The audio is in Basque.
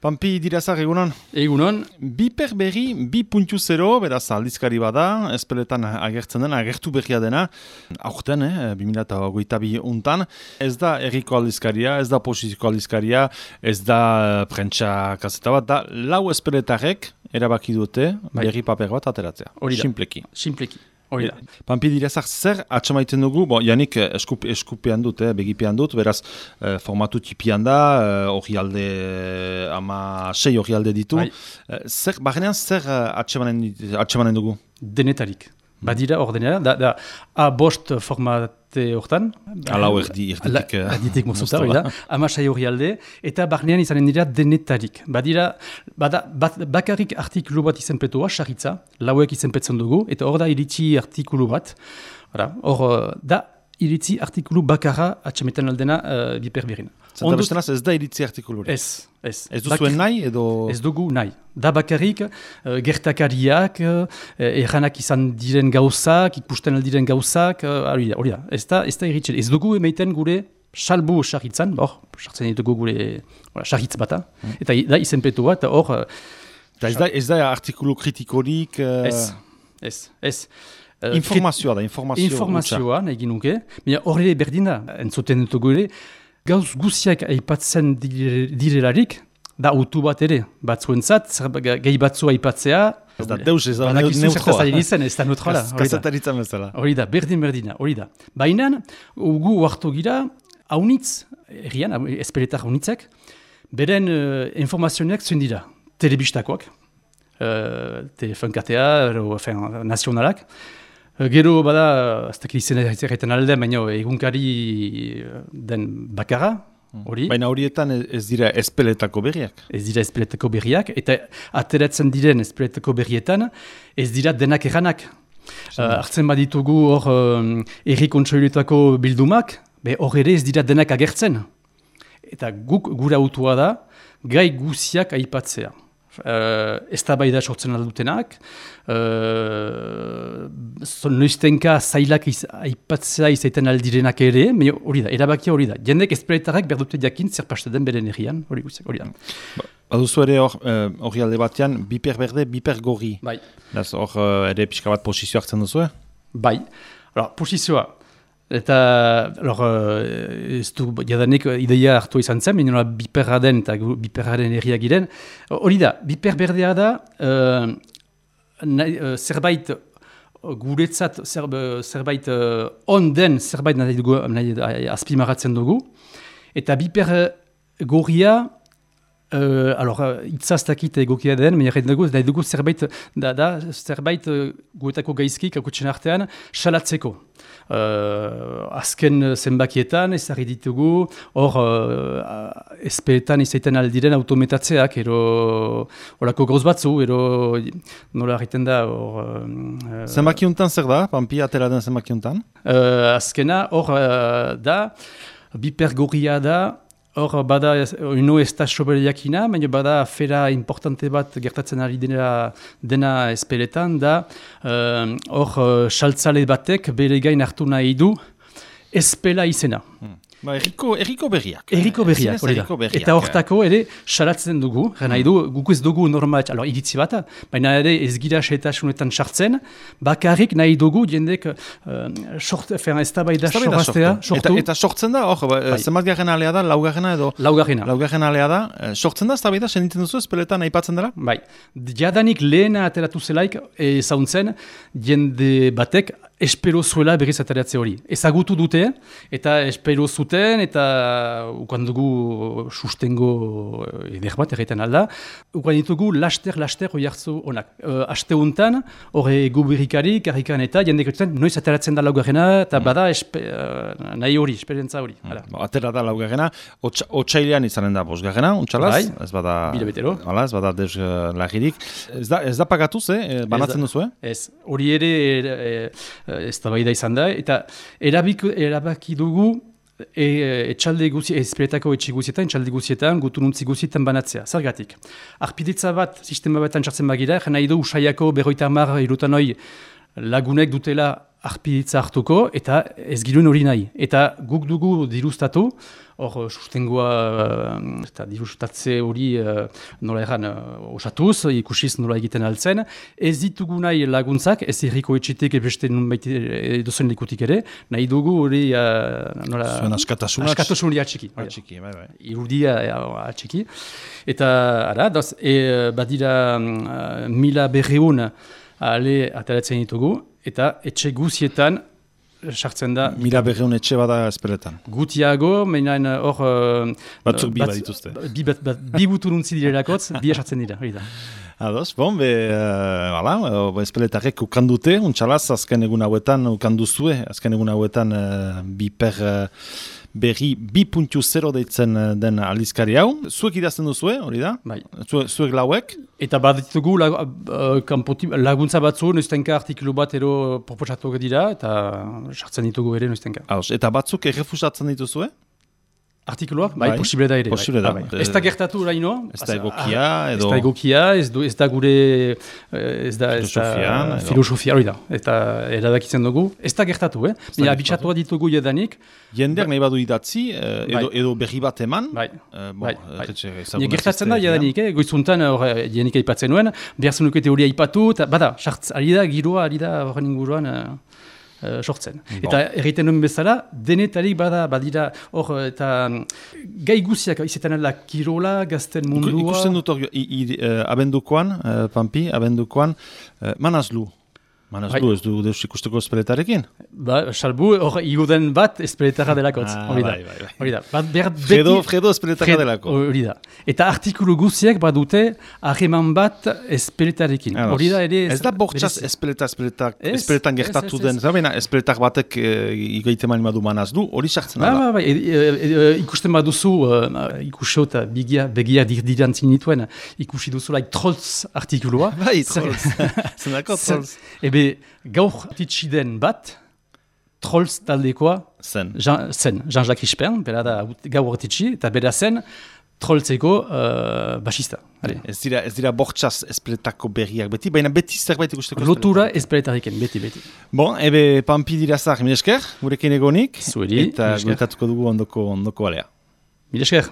Pampi dirazak egunon? Egunon. Biper berri 2.0, beraz aldizkari bada, espeletan agertzen dena, agertu berria dena, aurten, 2022 untan, ez da erriko aldizkaria, ez da posiziko aldizkaria, ez da prentsa kaseta bat, da lau espeletarek erabaki dute berri paper bat ateratzea. Simpleki. Pampi dirazak zer atxamaiten dugu, janik eskupean dut, begipean dut, beraz formatu tipian da, hori alde, 6 hori alde ditu. Barrenean zer atxamanen dugu? Denetarik. Badira ordenera, da A5 formate hortan. Alau erditik. Erditik mozuta, hori da. 6 hori alde, eta barnean izanen dira denetarik. Badira, bakarrik artikulu bat izenpetua, sarritza, lauek izenpetzen dugu, eta hor da iritsi artikulu bat. Hor da iritsi artikulu bakarra atxametan aldena biper berrina. Zenta bestenaz ez da iritsi artikulu? Ez. Ez duzuen nahi edo? Ez dugu nahi. Da bakarrik gertakariak, erranak izan diren gauzak, ikusten aldiren gauzak, hori da. Ez da iritsi. Ez dugu emaiten gure salbu sarritzan, sartzen ditugu gure sarritz bata, eta da izenpetu bat, hor... Ez da artikulu kritikorik? Ez. Informazioa da, informazioa nahi ginuke, horre berdin da, entzuten dutugu ere, gauz guziak aipatzen direlarik, da autu bat ere, batzuentzat, gehi batzu aipatzea, ez da deus, ez da neutroa. Ez da neutroa. Kasetaritza bezala. Hori da, berdina, hori da. Baina, gu hartu gira, haunitz, errian, espeletar haunitzek, beren informazioak zuen dira, telebistakoak, telefonkatea, nazionalak, gero bada, ez dakit izan egiten alde, baina egunkari den bakarra, hori. Baina horietan ez dira espeletako berriak? Ez dira espeletako berriak, eta ateratzen diren espeletako berrietan, ez dira denak erranak. Hartzen baditugu hor erri kontseiluetako bildumak, hor ere ez dira denak agertzen. Eta gure autua da, gai guziak aipatzea. Eztabaida sortzen aldutenak, noiztenka zailak aipatzea izaiten aldirenak ere, hori da, erabakia hori da. Jendek espeletarrak berdute jakin zer paste den beren herrian, hori da. Baduzu ere hori alde batean, biper berde, biper gorri. Bai. Hor ere pixka bat posizio hartzen duzu? Bai. Posizioa. Eta, ez du, jadanik ideia hartu izan zen, minua biperra den eta biperraren herriak giren. Hori da, biper berdea da, zerbait guretzat, zerbait onden, zerbait azpimaratzen dugu. Eta biper gorria, itzaztakit egokia den, nahi dugu zerbait guetako gaizki, kakutsen artean, salatzeko. Azken zenbakietan ezarri ditugu, hor espeletan izaiten aldiren autometatzeak, horako gauz batzu, nola egiten da. Zenbakiuntan zer da, Pampi atera den zenbakiuntan? Azkena, hor da, biper gorria da, hor bada, ino ez da soberiakina, baina bada afera importante bat gertatzen ari dena espeletan, da hor saltzale batek bere gain hartu nahi du espela izena. Erriko berriak. Erriko berriak, hori da. Eta hortako ere salatzen dugu, nahi du, guk ez dugu normal, iritzi bat, baina ere ez gira setasunetan sartzen, bakarrik nahi dugu jendek eztabaida sorraztea. Eta sortzen da, zenbat garen alea da, laugarrena edo? Laugarrena alea da, sortzen da eztabaida, senditzen duzu espeletan aipatzen dela? Bai, jadanik lehena ateratu zelaik zauntzen jende batek espero zuela berriz ateratzea hori. Ezagutu dute, eta espero zuten, eta ukan dugu sustengo eder bat erretan alda, ukan ditugu laster hori hartzu honak. Aste honetan, hori gubirikari, karrikan eta jendek dutzen, noiz ateratzen da laugarrena, eta bada nahi hori, esperientza hori. Atera da laugarrena, otsailean izanen da bosgarrena, untxalaz? Ez bada... Bilabetero. Ez bada deus lagirik. Ez da pagatuz, banatzen duzu, Ez, hori ere... eztabaida izan da, eta erabaki dugu etxalde espeletako etxe guzietan, etxalde guzietan, gutununtzi guzietan banatzea. Zergatik, arpidetza bat, sistema batan txartzen bagira, nahi du usaiako 50 irutanoi lagunek dutela arpiditza hartuko, eta ez giruen hori nahi. Eta guk dugu dirustatu, hor sustengoa eta dirustatze hori nola erran osatuz, ikusiz nola egiten altzen, ez ditugu nahi laguntzak, ez erriko etxitek ebeste nunbait edozen likutik ere, nahi dugu hori zuen askatasun hori atxiki. Irudia atxiki. Eta, badira 1.200 ale ateratzen ditugu, eta etxe guzietan sartzen da. 1.200 etxe bada espeletan. Gutiago, meinain hor... Batzuk bi badituzte. Bi buturuntzi direlakotz, bi sartzen dira, hori da. Ados, espeletarek ukandute, untxalaz, azken egun hauetan ukanduzue, azken egun hauetan biper berri 2.0 deitzen den aldizkari hau. Zuek idazten duzue, hori da? Bai. Zuek lauek? Eta baditugu laguntza batzu, noiztenka artikulu bat ero proposatuak dira, eta sartzen ditugu ere noiztenka. Eta batzuk errefusatzen dituzue? Artikuluak? Bai, posible da ere. Posible da. Ez da gertatu oraino. Ez da egokia, edo... Ez da egokia, ez da gure... Filosofia, hori da. Eta eradakitzen dugu. Ez da gertatu, Mila bitxatua ditugu jedanik. Jendeak nahi badu idatzi, edo berri bat eman. Bai. Gertatzen da jedanik, goizuntan jedanik aipatzen nuen, behar zenukete hori aipatu, eta bada, ari da, giroa, ari da horren inguruan... sortzen. Eta erraiten duen bezala, denetarik badira hor eta gai guziak izaten ala kirola, gazten mundua... Ikusten dut hor, abendukoan, Pampi, abendukoan, manazlu. Manazlu ez du deus ikusteko espeletarekin? Salbu, hor igoden bat espeletarra delakotz. Hori da. Fredo espeletarra delako. Hori da. Eta artikulu guziak badute hageman bat espeletarekin. Hori da ere... Ez da bortxaz espeletan gertatu den. Zabena, espeletar batek igaite mani badu manazlu, hori sartzen da. Ikusten baduzu, ikusio eta begia dirdirantzin nituen, ikusi duzu trolls artikulua. Bai, trolls. Zenako trolls. Gaur titxiden bat, Trolls taldekoa zen, Jean-Jacques Rispern, bera da gaur titxi, eta bera zen Trollseko basista. Ez dira bortxaz espeletako berriak beti, baina beti zerbait ikusteko lotura espeletariken, beti. Bon, Pampi dirazak, mil esker, gurekin egonik, zueri, eta guretatuko dugu ondoko alea. Mil esker.